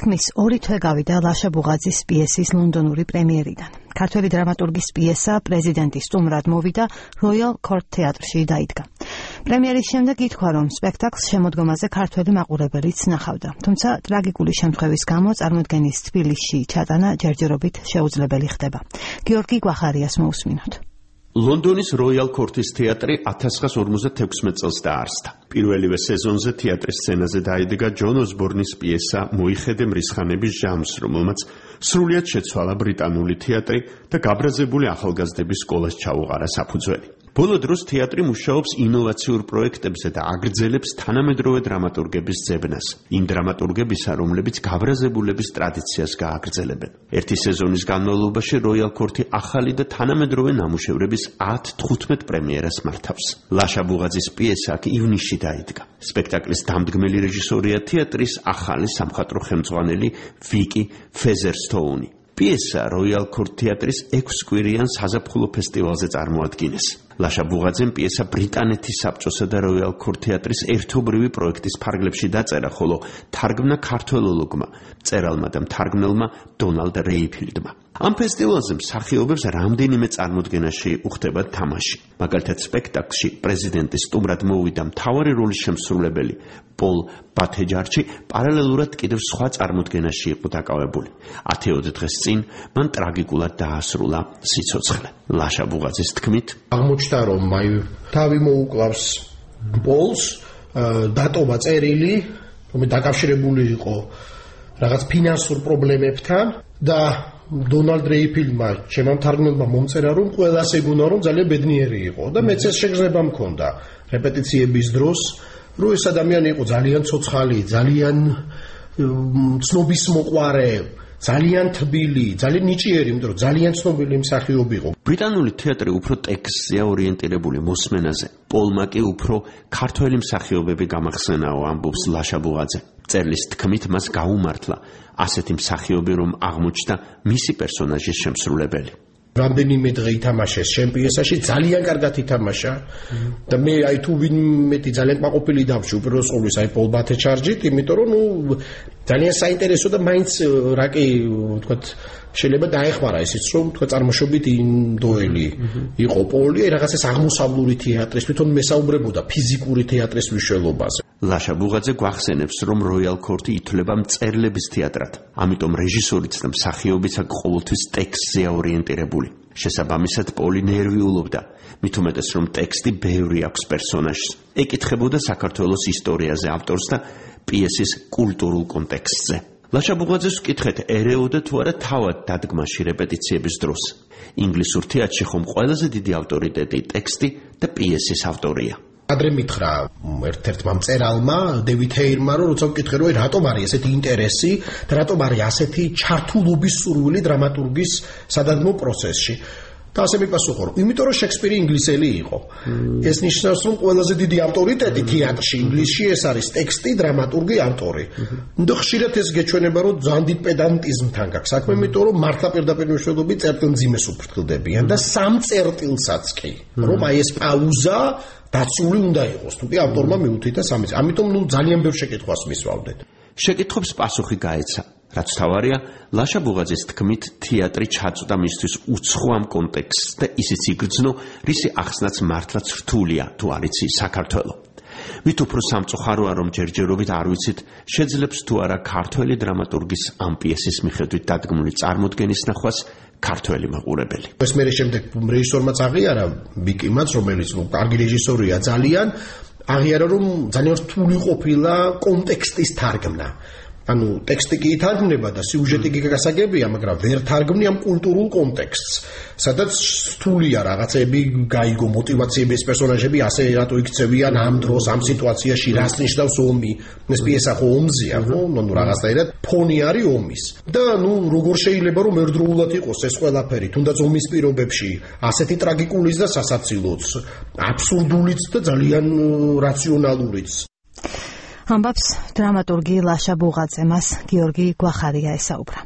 თქმის, 2 თვე გავიდა ლაშა ბუღაძის პიესის ლონდონური პრემიერიდან. ქართველი დრამატურგის პიესა პრეზიდენტის სტუმრად მოვიდა როიალ კორტ თეატრში დაიდგა. პრემიერის შემდეგ ითქვა, რომ სპექტაკლს შემოდგომაზე ქართველი მაყურებელიც ნახავდა. თუმცა ტრაგიკული შემთხვევის გამო წარმოდგენის თბილისში ჩატანა ჯერჯერობით შეუძლებელი ხდება. გიორგი გვახარიას მოусმინოთ. ლონდონის როიალ კორტის თეატრი 1956 წელს დაარსდა. პირველივე სეზონზე თეატრის სცენაზე დაიდგა ჯონ ოსბორნის პიესა მოიხედე მრისხანების ჟამს, რომელმაც სრულიად შეცვალა ბრიტანული თეატრი და გაბრაზებული ახალგაზრდების სკოლას ჩაუყარა საფუძველი. ბოლო დროს თეატრი მუშაობს ინოვაციურ პროექტებზე და აგრძელებს თანამედროვე დრამატურგების ძებნას. იმ დრამატურგებისა, რომლებიც გაბრაზებულების ტრადიციას გააგრძელებენ. ერთი სეზონის განმავლობაში როიალ კორტი ახალი და თანამედროვე ნამუშევრების 10-15 პრემიერას მართავს. ლაშა ბუღაძის პიესა აქ ივნისში დაიდგა. სპექტაკლის დამდგმელი რეჟისორია თეატრის ახალი სამხატვრო ხელმძღვანელი ვიკი ფეზერსტოუნი. პიესა როიალ კორტ თეატრის 6 კვირიან საზაფხულო ფესტივალზე წარმოადგინეს. ლაშა ბუღაძემ პიესა ბრიტანეთის საბჭოსა და როიალ კორტ თეატრის ერთობრივი პროექტის ფარგლებში დაწერა, ხოლო თარგმნა ქართველოლოგმა, მწერალმა და მთარგმნელმა დონალდ რეიფილდმა. ამ ფესტივალზე მსახიობებს რამდენიმე წარმოდგენაში უხდება თამაში. მაგალითად, სპექტაკლში პრეზიდენტის სტუმრად მოვიდა მთავარი როლის შემსრულებელი პოლ ბათეჯარჩი, პარალელურად კიდევ სხვა წარმოდგენაში იყო დაკავებული. 10 დღეს წინ მან ტრაგიკულად დაასრულა სიცოცხლე. ლაშა ბუღაძის თქმით, აღმოჩნდა, რომ თავი მოუკლავს პოლს, დატოვა წერილი, რომელიც დაკავშირებული იყო რაღაც ფინანსურ პრობლემებთან და დონალდ რეიფილდმა ჩემმა მთარგმნელმა მომწერა, რომ ყველას ეგონა, რომ ძალიან ბედნიერი იყო და მეც ეს შეგრძნება მქონდა რეპეტიციების დროს, რომ ეს ადამიანი იყო ძალიან ცოცხალი, ძალიან ცნობის მოყვარე, ძალიან თბილი, ძალიან ნიჭიერი, იმიტომ რომ ძალიან ცნობილი მსახიობი იყო. ბრიტანული თეატრი უფრო ტექსტზეა ორიენტირებული მოსმენაზე. პოლმა კი უფრო ქართველი მსახიობები გამახსენაო, ამბობს ლაშა ბუღაძე. წერლის თქმით მას გაუმართლა ასეთი მსახიობი, რომ აღმოჩნდა მისი პერსონაჟის შემსრულებელი. რამდენიმე დღე ითამაშეს ჩემ პიესაში, ძალიან კარგად ითამაშა და მე თუ ვინმე ძალიან კმაყოფილი დავში უპირველეს ყოვლისა პოლ ბათეჯარჩით, იმიტომ რომ ძალიან საინტერესო და მაინც რა კი ვთქვათ შეიძლება დაეხმარა ისიც რომ თქვა წარმოშობით ინდოელი იყო პოლი, რაღაცას აღმოსავლური თეატრის თვითონ მესაუბრებოდა ფიზიკური თეატრის მნიშვნელობაზე. ლაშა ბუღაძე გვახსენებს, რომ როიალ კორტი ითვლება მწერლების თეატრად, ამიტომ რეჟისორიც და მსახიობიც აქ ყოველთვის ტექსტზეა ორიენტირებული. შესაბამისად, პოლი ნერვიულობდა, მით უმეტეს რომ ტექსტი ბევრი აქვს პერსონაჟს. ეკითხებოდა საქართველოს ისტორიაზე ავტორს და პიესის კულტურულ კონტექსტზე. ლაშა ბუღაძეს ვკითხეთ, ერეოდა თუ არა თავად დადგმაში რეპეტიციების დროს. ინგლისურ თეატრში ხომ ყველაზე დიდი ავტორიტეტი ტექსტი და პიესის ავტორია. ადრე მითხრა ერთ-ერთმა მწერალმა, დევიდ ჰეირმა, რომ როცა ვკითხე, რომ რატომ არის ესეთი ინტერესი და რატომ არის ასეთი ჩართულობის სურვილი დრამატურგის სადადგმო პროცესში. და ასე მიპასუხა, რომ იმიტომ რომ შექსპირი ინგლისელი იყო. ეს ნიშნავს, რომ ყველაზე დიდი ავტორიტეტი თეატრში ინგლისში ეს არის ტექსტი, დრამატურგი, ავტორი. და ხშირად ეს გეჩვენება, რომ ძალიან დიდ პედანტიზმთან გაქვს საქმე, იმიტომ რომ მართლა პირდაპირ მნიშვნელობით წერტილმძიმეს უფრთხილდებიან და სამ წერტილსაც კი, რომ აი ეს პაუზა დაცული უნდა იყოს. თუ კი ავტორმა მიუთითა სამი. ამიტომ ძალიან ბევრ შეკითხვას მისვავდეთ. შეკითხვებს პასუხი გაეცა. რაც თავარია, ლაშა ბუღაძის თქმით, თეატრი ჩაწვდა მისთვის უცხო ამ კონტექსტს და ისიც იგრძნო, რისი ახსნაც მართლაც რთულია, თუ არ იცი საქართველო. მით უფრო სამწუხაროა, რომ ჯერჯერობით არ ვიცით, შეძლებს თუ არა ქართველი დრამატურგის ამ პიესის მიხედვით დადგმული წარმოდგენის ნახვას ქართველი მაყურებელი. ეს მე შემდეგ რეჟისორმაც აღიარა, ვიკიმაც, რომელიც კარგი რეჟისორია ძალიან, აღიარა, რომ ძალიან რთული ყოფილა კონტექსტის თარგმნა. ანუ ტექსტი კი ითარგმნება და სიუჟეტი კი გასაგებია, მაგრამ ვერ თარგმნი ამ კულტურულ კონტექსტს, სადაც რთულია რაღაცები გაიგო, მოტივაციები, ეს პერსონაჟები ასე რატო იქცევიან ამ დროს, ამ სიტუაციაში, რას ნიშნავს ომი. ეს პიესა ხო ომზეა, ხო? ნუ რაღაცნაირად ფონი არის ომის. და როგორ შეიძლება რომ ერთდროულად იყოს ეს ყველაფერი, თუნდაც ომის პირობებში, ასეთი ტრაგიკულიც და სასაცილოც, აბსურდულიც და ძალიან რაციონალურიც. ამბობს დრამატურგი ლაშა ბუღაძე, მას გიორგი გვახარია ესაუბრა.